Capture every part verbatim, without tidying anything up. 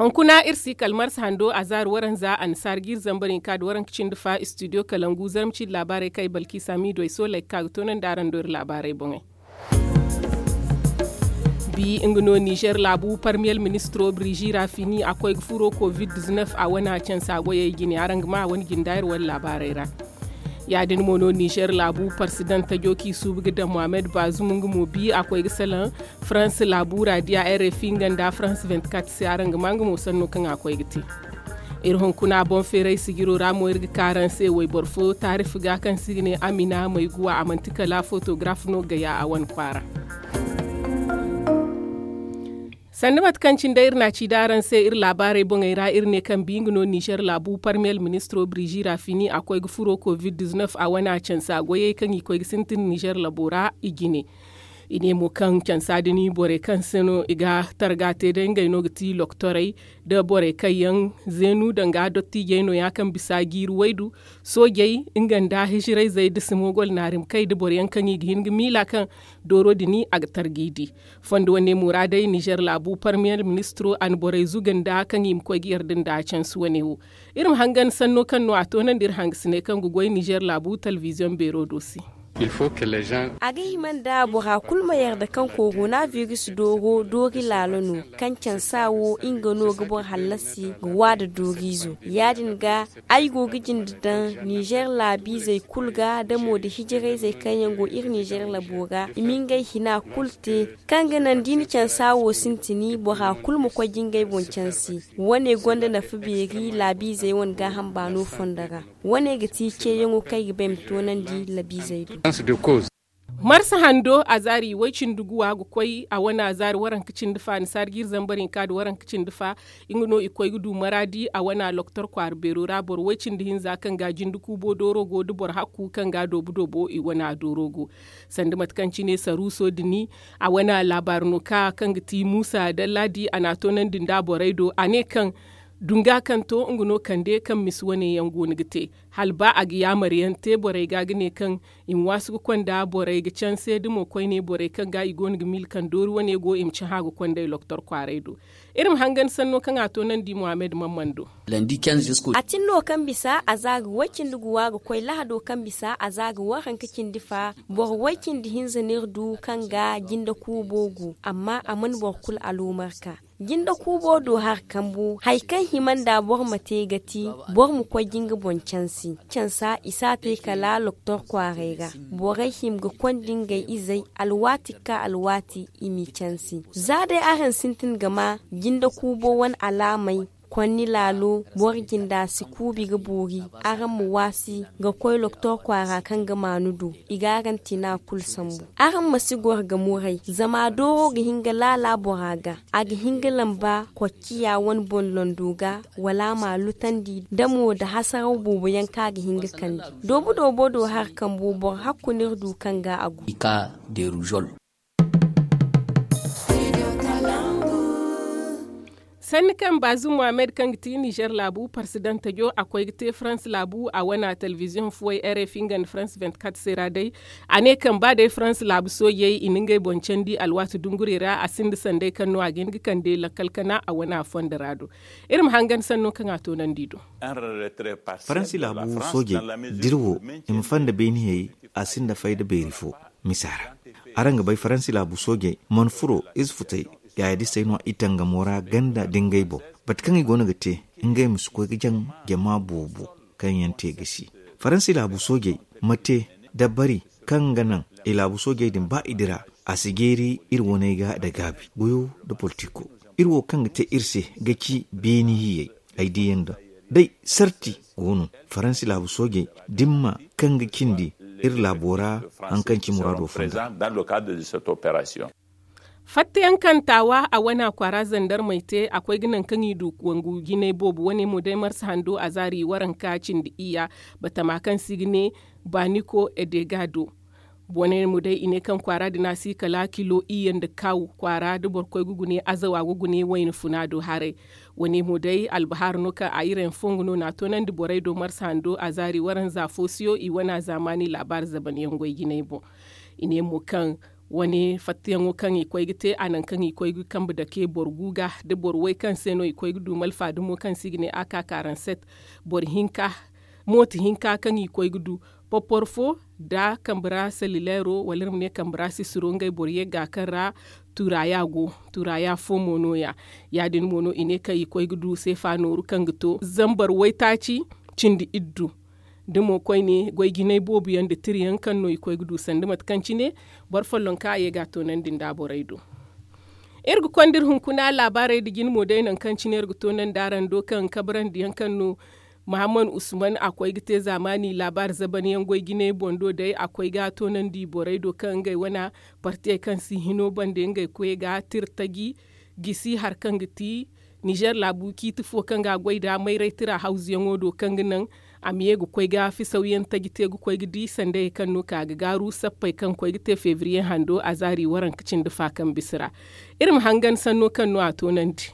Hunkuna iri si kala marsa hando a zaari waranza annasaara ga iri zambar hinka nda waranka cindi fa istudiyo kalangu zarma cindi laabaarey kaŋ ay balki samiido ay sooley ga ka ga toonandi araŋ do iri laabaarey boŋey. Bi nga no nizer laabu parmiyel ministiro birizi rafini a koy ga furo covid-19 a wane cansa goyey jine araŋ ga ma a wane jinda iri wane laabaarey ra. Ya- din mo no nizer laabu parsidan tajo kaŋ i suubu ga daŋ mohammed bazum nga mo bi a koy ga salaŋ farans laabu ra diya rfi nga nda farans vingt-quatre se araŋ ga ma nga mo sanno kaŋ a koy ga te. Iri hunkuna boŋ feeray sijiro ra mo iri ga ka araŋ se wayboro fo taarif ga kaŋ se i ga ne amina mayguwa a manti kala fotograf no gaya a wane kwaara. Sanda mate kaŋ cine day iri na a ci da araŋ se iri laabaarey boŋey ra iri ne kaŋ bi nga no nizer laabu parmiyel ministiro birizi rafini a koy ga furo covid-19 a wane cansa goyey kaŋ i koy ga sintin nizer laabo ra i jine. I ne mo kaŋ cansa din borey kaŋ se no i ga targa te day ngey no ga ti loktorey nda borey kaŋ yaŋ zeenu danga dottijey no- ya kaŋ bisa jiiri waydu soojey nga nda hijirayzey da simogol naarimkey nda boro yaŋ kaŋ i ga hin ga miila kaŋ dooro din a ga targa i di. Fondo wane mo ra day nizer laabu parmiyel ministiro a na borey zuga nda kaŋ i ma koy ga yarda nda cansi wane wo. Iri ma hangan sanno kaŋ no a toonandi iri hangasiney kaŋ ga goy nizer laabu telebiziyoŋ beero do se. A ga hima nda bora kulu ma yarda kaŋ koronabiris dooro doori laalo no kaŋ cansa wo nga no ga boro hallasi ga wa nda dooriizo ya- din ga ay go ga jinde daŋ nizer laabiizey kulu ga da mo nda hijirayzey kaŋ yaŋ go iri nizer labo ra i ma ngey hina kulu te kaŋ ga naŋ da i na cansa wo sintini bora kulu ma koy ga ngey boŋ cansi. Wane gonda nafa beeri laabiizey wane gaaham baano fondo ra. Wane ga ti ceeyaŋo kaŋ ay ga ba ay ma toonandi laabiizey do. Marsa hando a zaari way cindi guwa ga koy a wane a zaari waranka cindi fa annasaara ga iri zambar hinka nda waranka cindi fa. Nga no i koy ga du maraadi a wane a loktor kwaara beero ra boro way cindi hinza kaŋ ga jinde kuubo dooro go nda boro hakku kaŋ ga doobu doobo i wane a dooro go. Sanda mate kaŋ cine saruuso dini a wane a laabaari no ka kaŋ ga ti muusa dallaadi a na a toonandi nda borey do a ne kaŋ dunga kaŋ to nga no kande kaŋ misi wane yaŋ go no ga te hala ba a ga yaamar yaŋ te borey ga ga ne kaŋ i ma waasu ga konda borey ga canse da mo koyne borey kaŋ ga i go no ga miila kaŋ doori wane go i ma cahã ga kondey loktor kwaaray do. Iri ma hangan sanno kaŋ a toonandi mohammed mamman do. A tin no kaŋ bisa a za ga way cindi guwa ga koy lahado kaŋ bisa a za ga waranka cindi fa boro way cindi hinza no iri du kaŋ ga jinde kuubo gu amma a mana boro kulu aloomar ka jinde kuubo do hari kambu hari kaŋ hima nda boro ma te ga ti boro ma koy ga nga boŋ cansi cansa i si a te kala loktor kwaaray ra. Borey hima ga konda ngey izey alwaati ga ka alwaati i m'i cansi za day araŋ sintin ga ma jinde kuubo wane alaamey konni laalo boro jinda si kuubi ga boori. Araŋ ma waasi ga koy loktor kwaara kaŋ ga maanu du i ga araŋ tina kulu sambu. Araŋ ma si goro ga muray zama dooro ga hin ga laala bora ga a ga hin ga lamba kocciya wane boŋ londo ga wala a ma a lutandi da mo nda hasaraw boobo yaŋ kaŋ a ga hin ga kande doobu doobo do hari kambo boro hakku no iri du kaŋ ga a gu. Sanni kaŋ baazum mohammed kaŋ ga ti nizer laabu parsidanta jo a koy ga te farans laabu a wane a telebiziyoŋ fuwey rfi nga nda farans vingt-quatre se ra day. A ne kaŋ ba day farans laabu soojey i na ngey boŋ candi alwaati dungurey ra a sinda sanday kaŋ no a ga hin ga kande lakkal kana a wane a fondo ra do. Iri ma hangan sanno kaŋ a toonandi do. Faransi laabu soojey da iri wo i ma fanda beeni hayey a sinda fayda beeri fo. Misa ra araŋ ga bay faransi laabu soojey mana furo ize futey yaayadisey no i tangamo ra ganda da ngey boŋ. Mate kaŋ i go no ga te ngey ma si koy ga jaŋ jama boobo kaŋ yaŋ te ga si. Faransi laabu soojey ma te dabbari kaŋ ga naŋ i laabu soojey din ba i dira a si jeeri iri waney ga nda gaabi goyo nda politiko. Iri wo kaŋ ga te iri se ga ci beeni hiyey ay diiyaŋ da day sarti go no faransi laabu soojey dimma kaŋ ga cindi iri laabo ra haŋ kaŋ ci muraado fonda. Fattayaŋ kaŋ taawa a wane a kwaara zandarmey te a koy ga naŋ kaŋ i du wangu jinay boobo wane mo day marsa hando a zaari waranka cindi iyya batama kaŋ se i ga ne baaniko edega do. Wane mo day i ne kaŋ kwaara din a si kala kilo iyye nda kaawu kwaara da boro koy ga gune azawa ga gune wayna funa do haray. Wane mo day albahaara no kaŋ a irayaŋ fongu no na a toonandi borey do marsa hando a zaari waranza foosuyo i wane a zaamaani laabaari zabanyaŋ goy jinay boŋ. I ne mo kaŋ Wane fattayaŋo kaŋ i koy ga te a naŋ kaŋ i koy ga kambe dake boro gu ga da boro way kaŋ se no i koy ga du malfa dumo kaŋ se i ga ne a ka karanset boro hinka mooto hinka kaŋ i koy ga du popor fo da kambe ra salileero wala iri ma ne kambe ra sisiro ngey boro yagga kaŋ ra tuuraya go tuuraya fo mo no- ya. Ya- din mo no i ne kaŋ i koy ga du seefa nooru kaŋ ga to zambar waytaaci cindi iddu da mo koyne goy jinay boobo yaŋ nda tira yaŋ kaŋ no i koy ga du sanda mate kaŋ cine boro follonka a ye ga a toonandi nda borey do. Iri ga konda iri hunkuna laabaarey nda jine mo day nangu kaŋ cine iri ga toonandi araŋ do kaŋ kabrandi yaŋ kaŋ no mahammad usman a koy ga te zaamaani laabaari zaban yaŋ goy jinay boŋ do day a koy ga a toonandi borey do kaŋ ngey wana partiyey kaŋ si hino bande ngey koy ga tira taji gisi hari kaŋ ga ti nizer laabu ciiti fo kaŋ ga a goy nda mayray tira hawzuyaŋo do kaŋ ga naŋ a ma ye ga koy ga fisaw yaŋ taji te ga koy ga di sandayey kaŋ no ka ga gaaru sappey kaŋ koy ga te febriye hando a zaari waranka cindi fa kaŋ bisa ra. Iri ma hangan sanno kaŋ no a toonandi.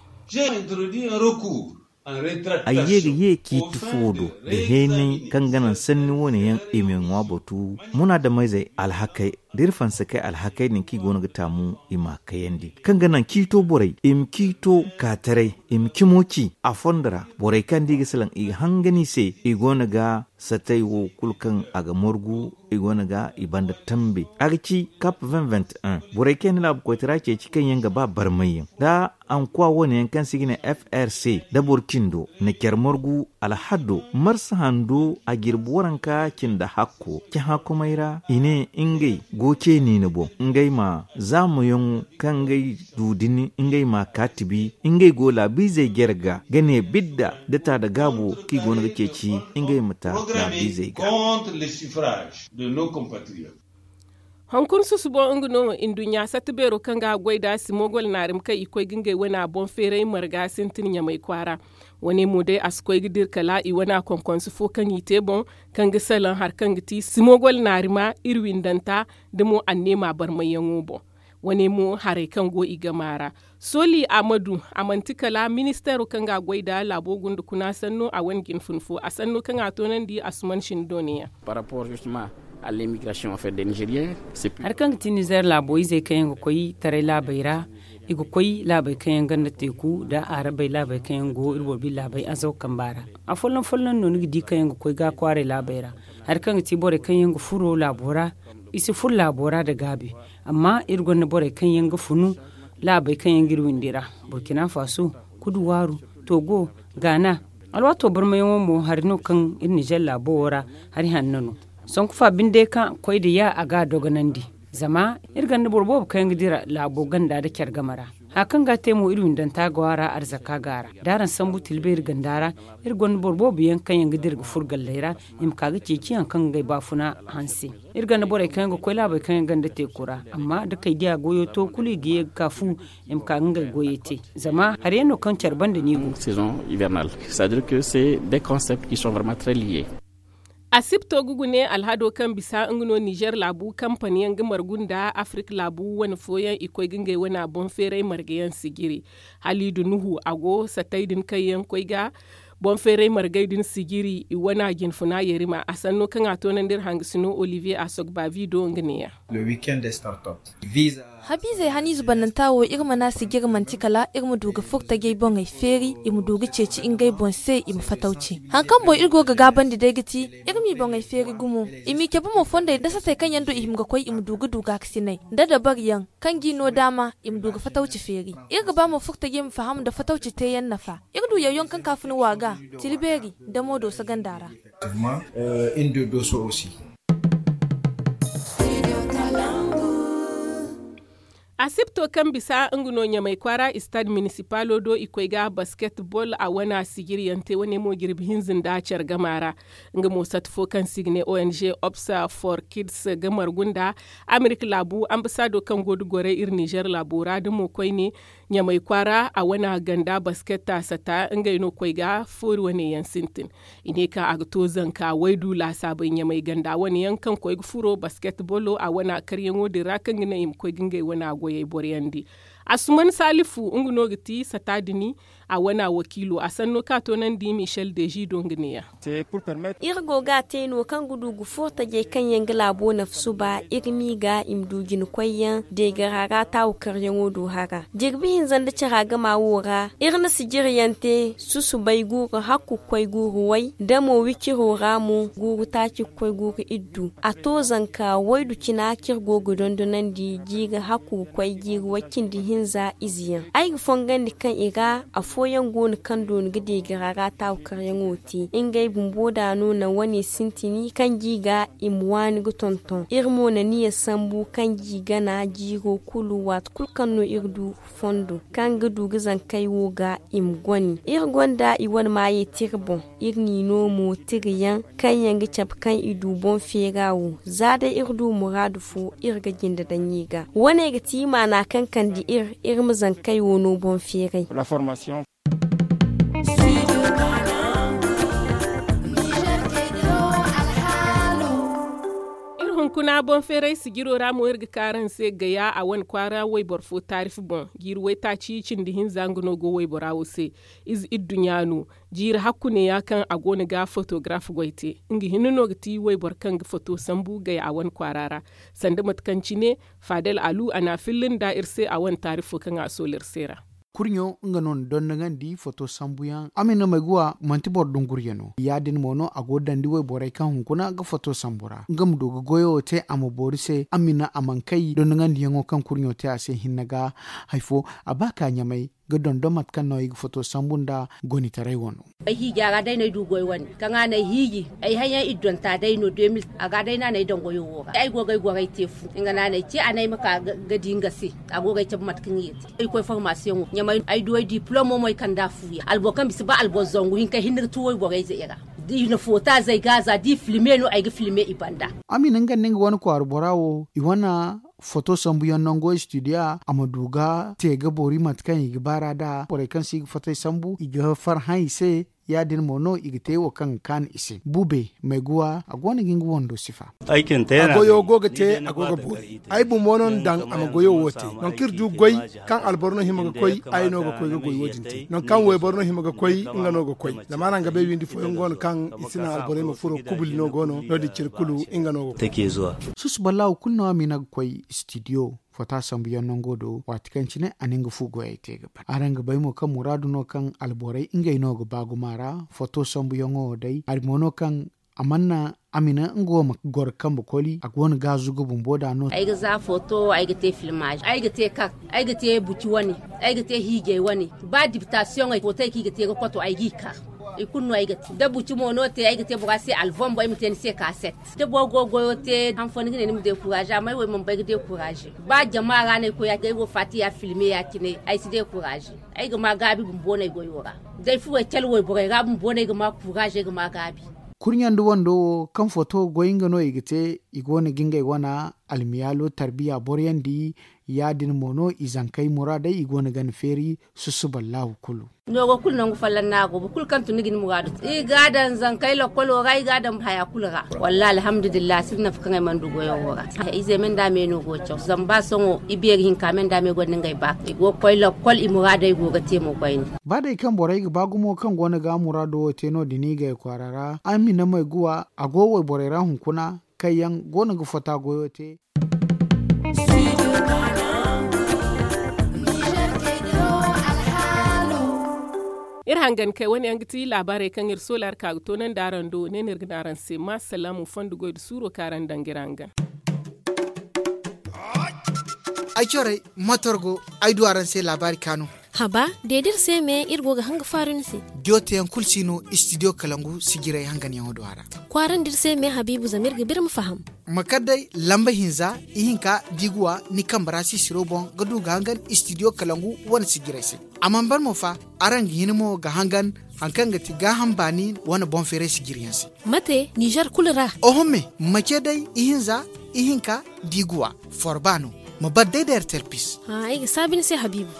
Ay ye ga ye ciiti fo do da heenay kaŋ ga naŋ sanni wane yaŋ i ma ŋwa batu munaadameyzey alhakey da iri fansa kay alhakey din kaŋ i go no ga taamu i ma a kayandi kaŋ ga naŋ ciito borey i ma ciito kaataray i ma cimo ci a fondo ra borey kaŋ da i ga salaŋ i ga hangan i se i go no ga satay wo kulu kaŋ a ga margu i go no ga i banda tambe a ga ci kap vingt vingt un borey kaŋ yaŋ na laabu koytara ceeci kaŋ yaŋ ga ba barmayyaŋ da ankuwa wane yaŋ kaŋ se i ga ne f r c da boro cindo na care margu alhaddo marsa hando a jirbi waranka cindi hakko cahãkomey ra i ne ngey go ceeni ni boŋ ngey ma zaamuyaŋo kaŋ ngey du din ngey ma a kaatibi ngey go laabiizey jare ga ga ne bidda da ta da gaabo kaŋ i go no ga ceeci ngey ma ta laabiizey ga. Hunkuna susubo nga no nduɲɲa satta beero kaŋ ga a goy nd'a simogol naarima kaŋ i koy ga ngey wana boŋ feeray marga sintin ɲamay kwaara. Wane mo day a si koy ga dira kala i wana konkonse fo kaŋ i te boŋ kaŋ ga salaŋ hari kaŋ ga ti simogol naarima iri windanta da mo anneema barmayyaŋo boŋ. Wane mo haray kaŋ go i gama ra soli amadu a manti kala ministeero kaŋ ga a goy nda laabo gunda kuna sanno a wane jinfun fo a sanno kaŋ a toonandi asuman sinda dooniyaŋ. Hari kaŋ ga ti nizer laabo izey kaŋ yaŋ ga koy taray laabey ra i ga koy laabey kaŋ yaŋ ganda teeku nda arabey laabey kaŋ yaŋ go iri boro bine laabey azaw kamba ra. Afolloŋ folloŋ no ni ga di kaŋ yaŋ ga koy ga kwaaray laabey ra hari kaŋ ga ti borey kaŋ yaŋ ga furo laabo ra i si furo laabo ra nda gaabi. Amma iri gonda borey kaŋ yaŋ ga funu laabey kaŋ yaŋ ga iri windi ra burkina faso, kuduwaaru, togo, gaana. Alwaato barmayaŋo mo hari no kaŋ iri nizer laabo wo ra hari hanno no. Sanku fa binde kaŋ koy nda ya a ga a dogonandi. Zama iri gonda boro boobo kaŋ yaŋ ga dira laabo ganda nda care game ra. Haya kaŋ ga a te mo iri windanta go a ra arzaka go a ra da araŋ sambu tilbeeri ganda ra. Iri gonda boro boobo yaŋ kaŋ yaŋ ga dira ga furo galley ra i ma ka ga ceeci hari kaŋ ga ngey baafuna hanse. Iri gonda borey kaŋ yaŋ ga koy laabey kaŋ yaŋ ganda teeku ra amma da kay diya goyo to kulu i ga ye ga ka fu i ma ka ga ngey goyey te. Zama hari yaŋ no kaŋ care banda no i go. Asibto ga gune alhado kaŋ bisa nga no nizer laabu kampani yaŋ ga margu nda afirka laabu wane fooyaŋ i koy ga ngey wana boŋ feeray marga yaŋ sijiri. Halidu nuhu a go satay din kaŋ yaŋ koy ga boŋ feeray margay din sijiri i wana jinfuna yarima a sanno kaŋ a toonandi iri hangasino olivier a sogba vido nga neeya. Habiizey haniize bannanta wo iri mana sijiri manti kala iri ma du ga furo tajey boŋey feeri i ma du ga ceeci ngey boŋ se i ma fatawci. Hari kaŋ boŋ iri go ga gaabandi day ga ti iri m'i boŋey feeri gumo i m'i cabe mo fondey nda satey kaŋ yaŋ do i hima ga koy i ma du ga du gaakasinay nda dabari yaŋ kaŋ g'i no daama i ma du ga fatawci feeri. Iri ga ba mo furo tajey ma faham nda fatawci teeyaŋ nafa. Iri du yawyaŋ kaŋ ka funa wa ga tila beeri nda moodo saganda ra. Asibto kaŋ bisa nga no ɲamay kwaara istad minisipalo do i koy ga basketbol a wana sijiriyaŋ te wane mo jirbi hinza nda care gama ra. Nga mo sata fo kaŋ se i ga ne ong obsa for kids ga margu nda amerika laabu ambasado kaŋ go da gorey iri nizer laabo ra da mo koyne ɲamay kwaara a wana ganda basket taasata ngey no koy ga foori wane yaŋ sintin. I ne kaŋ a ga to zanka waydu laasaabey ɲamay ganda wane yaŋ kaŋ koy ga furo basket bolo a wana karyaŋo din ra kaŋ ga naŋ i ma koy ga ngey wana goyey boroyandi. Asuman salifu nga no ga ti sata dini. A wane a wakiilo a sanno kaŋ a toonandi michel deji do nga neeya. Iri go ga a te no kaŋ ga du ga furo tajey kaŋ yaŋ ga laabo nafa suba iri m'i ga i ma du jina koyyaŋ deegara ra taawu karyaŋo do hara jirbi hinza nda cara gama wo ra iri na sijiryaŋ te susubay guuru hakku ga koy guuru way da mo wiciro ra mo guuru taaci ga koy guuru iddu a to zanka waydu cina kaŋ iri go ga dondonandi jiiri hakku ga koy jiiri way cindi hinza ize yaŋ ay ga fongandi kaŋ i ra afooyaŋ go no kaŋ doona ga deegara ra taawu karyaŋo te ngey bumbo da no naŋ wane sintini kaŋ ga i ga i ma waani ga tonton iri mo na niya sambu kaŋ ga i gana jiiro kulu waati kulu kaŋ no iri du fondo kaŋ ga du ga zankey wo ga i ma goni iri gonda i wane maayey tira boŋ iri n'i no mo tirayaŋ kaŋ yaŋ ga cabe kaŋ i du boŋ feera wo za day iri du muraadu fo iri ga jinde daŋ i ga wane ga ti maana kaŋ kande iri iri ma zankey wo no boŋ feeray. Iri hunkuna boŋ feeray sijiro ra mo iri ga ka araŋ se gaya a wane kwaara wayboro fo taarif boŋ jiiri waytaaci cindi hinza nga no go waybora wo se. Ize idduɲɲa no jiiri hakku neeya kaŋ a go no ga fotograf goy te nga hinne no ga ti wayboro kaŋ ga foto sambu gaya a wane kwaara ra. Sanda mate kaŋ cine faadel alu a n'a filla nda iri se a wane taarifo kaŋ a soola iri se ra. Kurɲo nga no na dondonandi foto sambuyaŋ a ma ni na may ga wa manti boro dunguryaŋ no ya- din mo no a go ga dandi wayborey kaŋ hunkuna ga foto sambu ra nga ma du ga goyo wo te a ma boori se a ma ni a mana kay dondonandiyaŋo kaŋ kurɲo te a se hinne ga. Hari fo a ba ka ɲamay ga dondon mate kaŋ no ay ga foto sambu nda gonitaray wano. Ay hiiji a ra day no ay du goy wane kaŋ a na ay hiiji ay hayaŋ iddonta day no de mil a ga day no a na ay daŋ goyo wo ra ay go ga ay goray te fu nga no a na ay ce a na ay ma ka ga di nga se. A go ga ay cabe mate kaŋ i ga te ay koy formasiyoŋo ɲamay ay du ay diplomo mo ay kand'a fuya alboro kaŋ bisa ba alboro zangu hinka hinne ga tu wayborey ze i ra. Da i na foota zey ga za da i filme no ay ga filme i banda. A ma i na nga nda nga wane kwaara bora wo i wane foto sambuyaŋ nango studio a ma du ga te ga boori mate kaŋ i ga baar'a nd'a borey kaŋ se i ga fotey sambu i ga farhã i se. Ya- din mo no i ga te wo kaŋ ga kaanu i se bube mayguwa a go no ga nga wando sifa. A goyo go ga te a go ga boori ay bumbo no na daŋ a ma goyo wo te nangu kaŋ iri du goy kaŋ alboro no hima ga koy ay no ga koy ga goy wo- din te nangu kaŋ wayboro no hima ga koy nga no ga koy. Zama araŋ ga bay windi fooyaŋ go no kaŋ i si naŋ alborey ma furo kubuli no go no no- din cine kulu nga no ga koy. Susu ballaahu kulu no a ma i na ga koy studio foto sambuyaŋ nango do waati kaŋ cine a na nga fu goyey te ga ban araŋ ga bay mo kaŋ muraadu no kaŋ alborey ngey no ga ba gumo a ra. Foto sambuyaŋo wo day hari mo no kaŋ a mana a ma i na nga wo ma goro kambe koli a go no ga zuga bumbo da no. Ay ga za foto ay ga te filmaaze ay ga te kak ay ga te buci wane ay ga te hiijay wane ba dibitasiyoŋey footey kaŋ i ga te ga koto ay g'i kar. I kulu no ay ga te da buci mo no te ay ga te bora se albom bo ay ma te ni se kaaset. Da boro go goyo te han fo ni ga ne ni ma dekuraaze amma ay wo ay mana bay ga dekuraaze. Ba jama ra no ay koy ya day wo faati ya filme ya- cine ay si dekuraaze. Ay ga ma gaabi bumbo no ay goyo ra. Da ay furo ay cale wayborey ra bumbo no ay ga ma kuraaze ay ga ma gaabi. Kurɲandi wando wo kaŋ foto goy nga no i ga te i go no ga ngey wana almiyaalo tarbiya boroyandi. Ya- din mo no i zankey muraadey i go no ga ni feeri. Susuballahu kulu. Noogo kulu nangu folloŋ no a go boro kulu kaŋ tun ni ga ni muraadu te i ga a daŋ zankey lokolo ra i ga a daŋ haya kulu ra. Wallaahi alhamdulillahi a sinda nafa kaŋ ay mana du goyo wo ra. Ize me nda me no go ga caw zama ba sohõ i beeri hinka me nda me gonda ngey baaka i go ga koy lokol i muraadey go ga te mo koyne. Ba day kaŋ borey ga ba gumo kaŋ go no ga muraado wo te no- din i gay kwaara ra a ma ni na may guwa a go wayborey ra hunkuna kaŋ yaŋ go no ga fota goyo te. Iri hangan kay wane yaŋ ga ti laabaarey kaŋ iri soola iri ka ga toonandi araŋ do ne no iri ga ne araŋ se ma salaamu fondo goy nda suuro kaŋ araŋ daŋ ga iri hangan. Ay corey motor go ay du araŋ se laabaari kaanu. Haba de da iri se me iri go ga hanga faaru ni se. Diyo teyaŋ kulu si no istidiyo kalangu sijirey hanganyaŋo do a ra. Kwaarandi iri se me habiibu zama iri ga ba iri ma faham. Ma kar day lamba hinza ihinka da i ga wa ni kambe ra sisiro boŋ ga du ga hangan istidiyo kalangu wane sijirey se. A mana ban mo fa araŋ ga hin mo ga hangan hari kaŋ ga ti gaaham baani wane boŋ feeray sijiriyaŋ se. Mate nizer kulu ra. Oho me ma ce day ihinza ihinka da i ga wa forba no. Ma bar day da ertel pis. Ay ga saabi ni se habiibu.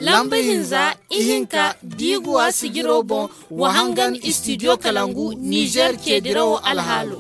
Lamba hinza ihinka da i ga wa sijiro boŋ wa hangan istidiyo kalangu nizer ceedirawo alhaalo.